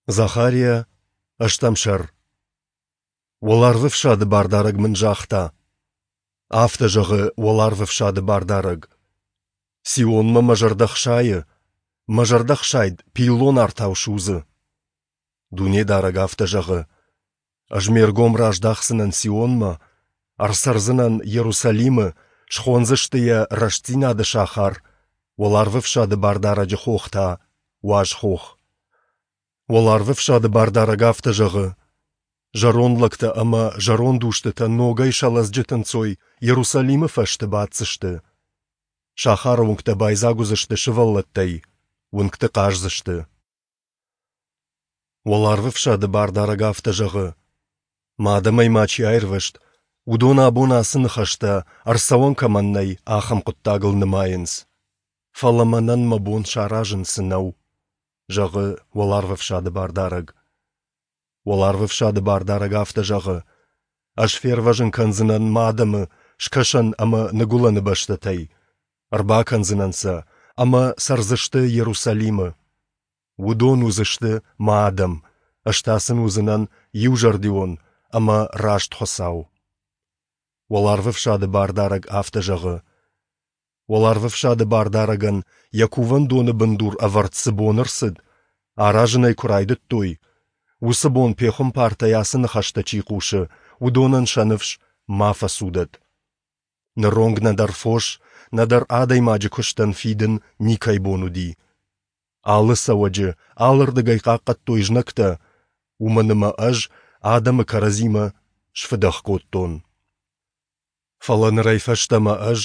Захария, ӕстӕм сӕр. Уӕларвӕфсады Бардарӕг мын загъта: Афтӕ зӕгъы Уӕларвӕфсады Бардарӕг: Сионмӕ мӕ зӕрдӕ хсайы, мӕ зӕрдӕхсайд пиллон артау судзы. Дунедарӕг афтӕ зӕгъы: Ӕз ме ргом раздахдзынӕн Сионмӕ, ӕрцӕрдзынӕн Йерусалимы, схондзысты йӕ Рӕстдзинады сахар, Уӕларвӕфсады Бардарӕджы хох та Уаз хох. Уӕларвӕфсады Бардарӕг афтӕ зӕгъы: Зӕронд лӕгтӕ ӕмӕ зӕронд устытӕ ногӕй сӕ лӕдзджыты нцой Йерусалимы фӕзты баддзысты. Сахары уынгтӕ байдзаг уыдзысты сывӕллӕттӕй, уынгты хъаздзысты. Уӕларвӕфсады Бардарӕг афтӕ зӕгъы: Мӕ адӕмӕй ма чи аирвӕзт, уыдон абон ацы ныхӕстӕ, ӕрцӕуӕн кӕмӕн нӕй, ахӕм хъуыддагыл нымайынц. Фӕлӕ мӕнӕн мӕ бон саразын цы нӕу, зӕгъы Уӕларвӕфсады Бардарӕг. Уӕларвӕфсады Бардарӕг афтӕ зӕгъы: Ӕз фервӕзын кӕндзынӕн мӕ адӕмы скӕсӕн ӕмӕ ныгуылӕны бӕстӕтӕй, ӕрбакӕндзынӕн сӕ, ӕмӕ цӕрдзысты Йерусалимы. Уыдон уыдзысты мӕ адӕм, ӕз та сын уыдзынӕн иузӕрдион ӕмӕ раст Хуыцау. Уӕларвӕфсады Бардарӕг афтӕ зӕгъы: Уӕларвӕфсады Бардарӕгӕн йӕ кувӕндоны бындур ӕвӕрд цы бон ӕрцыд, аразын ӕй куы райдыдтой, уыцы бон пехуымпартӕй ацы ныхӕстӕ чи хъусы, уыдонӕн сӕ ныфс ма фӕцудӕд. Ныронг нӕдӕр фос, нӕдӕр адӕймаджы куыстӕн фидын никӕй бон уыди. Алы цӕуӕджы алырдыгӕй хъахъхъӕдтой знӕгтӕ, уымӕн ӕмӕ ӕз адӕмы кӕрӕдзимӕ сфыдӕх кодтон. Фӕлӕ нырӕй фӕстӕмӕ ӕз,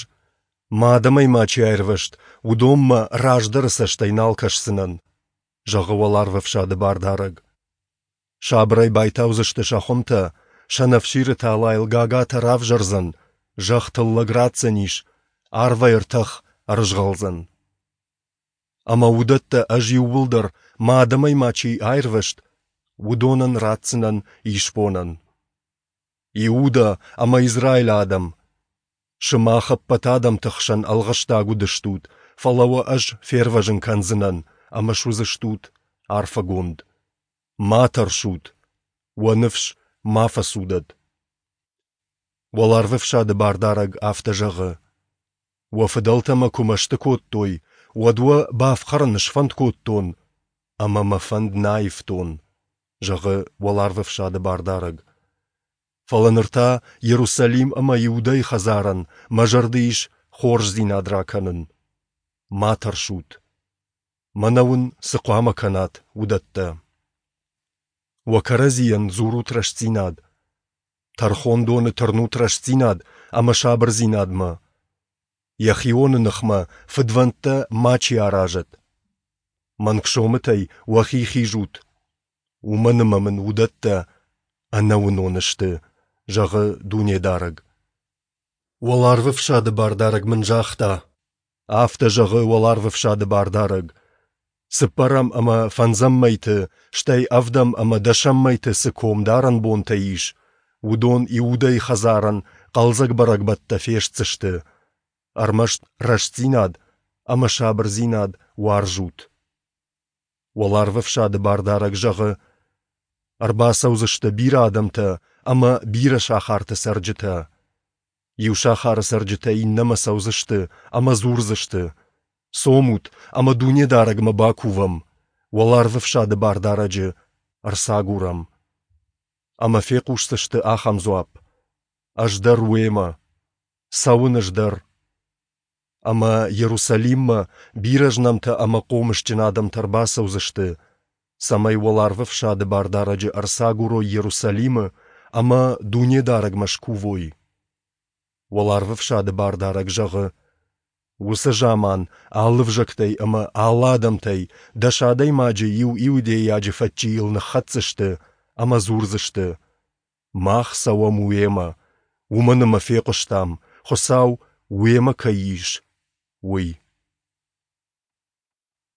мӕ адӕмӕй ма чи аирвӕзт, уыдонмӕ раздӕры цӕстӕй нал кӕсдзынӕн, зӕгъы Уӕларвӕфсады Бардарӕг. Сабырӕй байтаудзысты сӕ хуымтӕ, сӕнӕфсиры талайыл гагатӕ равзӕрдзӕн, зӕхх тыллӕг ратдзӕнис, арвӕй ӕртӕх ӕрызгъӕлдзӕн. Ӕмӕ уыдӕттӕ ӕз иууылдӕр, мӕ адӕмӕй ма чи аирвӕзт, уыдонӕн ратдзынӕн исбонӕн. Иуда ӕмӕ Израилы адӕм! Сымах ӕппӕт адӕмты хсӕн ӕлгъыстаг уыдыстут, фӕлӕ уӕ ӕз фервӕзын кӕндзынӕн, ӕмӕ суыдзыстут арфӕгонд. Ма тӕрсут, уӕ ныфс ма фӕцудӕд. Уӕларвӕфсады Бардарӕг афтӕ зӕгъы: Уӕ фыдӕлтӕ мӕ куы мӕсты кодтой, уӕд уӕ бафхӕрын сфӕнд кодтон, ӕмӕ мӕ фӕнд нӕ аивтон, зӕгъы Уӕларвӕфсады Бардарӕг. Фӕлӕ ныр та Йерусалим ӕмӕ Иудӕйы хӕдзарӕн мӕ зӕрды ис хорздзинад ракӕнын. Ма тӕрсут. Мӕнӕ уын цы хъуамӕ кӕнат, уыдӕттӕ. Уӕ кӕрӕдзийӕн дзурут рӕстдзинад. Тӕрхондоны тырнут рӕстдзинад ӕмӕ сабырдзинадмӕ. Йӕхионы ныхмӕ фыдвӕндтӕ мачи аразӕд. Мӕнг сомытӕй уӕхи хизут, уымӕн ӕмӕ мын уыдӕттӕ ӕнӕуынон сты, зӕгъы Дунедарӕг. Уӕларвӕфсады Бардарӕг мын загъта: Афтӕ зӕгъы Уӕларвӕфсады Бардарӕг: Цыппӕрӕм ӕмӕ фӕндзӕм мӕйты, стӕй ӕвдӕм ӕмӕ дӕсӕм мӕйты цы комдарӕн бонтӕ ис, уыдон Иудӕйы хӕдзарӕн хъӕлдзӕг бӕрӕгбӕттӕ фестдзысты. Ӕрмӕст рӕстдзинад ӕмӕ сабырдзинад уарзут. Уӕларвӕфсады Бардарӕг зӕгъы: Ӕрбацӕудзысты бирӕ адӕмтӕ ӕмӕ бирӕ сахарты цӕрджытӕ. Иу сахары цӕрджытӕ иннӕмӕ цӕудзысты ӕмӕ дзурдзысты: Цомут ӕмӕ Дунедарӕгмӕ бакувӕм, Уӕларвӕфсады Бардарӕджы ӕрцагурӕм. Ӕмӕ фехъусдзысты ахӕм дзуапп: Ӕз дӕр уемӕ. Цӕуын ӕз дӕр. Ӕмӕ Йерусалиммӕ бирӕ знӕмтӕ ӕмӕ хъомысджын адӕмтӕ ӕрбацӕудзысты, цӕмӕй Уӕларвӕфсады Бардарӕджы ӕрцагурой Йерусалимы ӕмӕ Дунедарӕгмӕ скувой. Уӕларвӕфсады Бардарӕг зӕгъы: Уыцы заман алы ӕвзӕгтӕй ӕмӕ алы адӕмтӕй дӕс адӕймаджы иу иудейаджы фӕдджийыл ныххӕцдзысты ӕмӕ дзурдзысты: Мах цӕуӕм уемӕ, уымӕн ӕмӕ фехъуыстам, Хуыцау уемӕ кӕй ис, уый.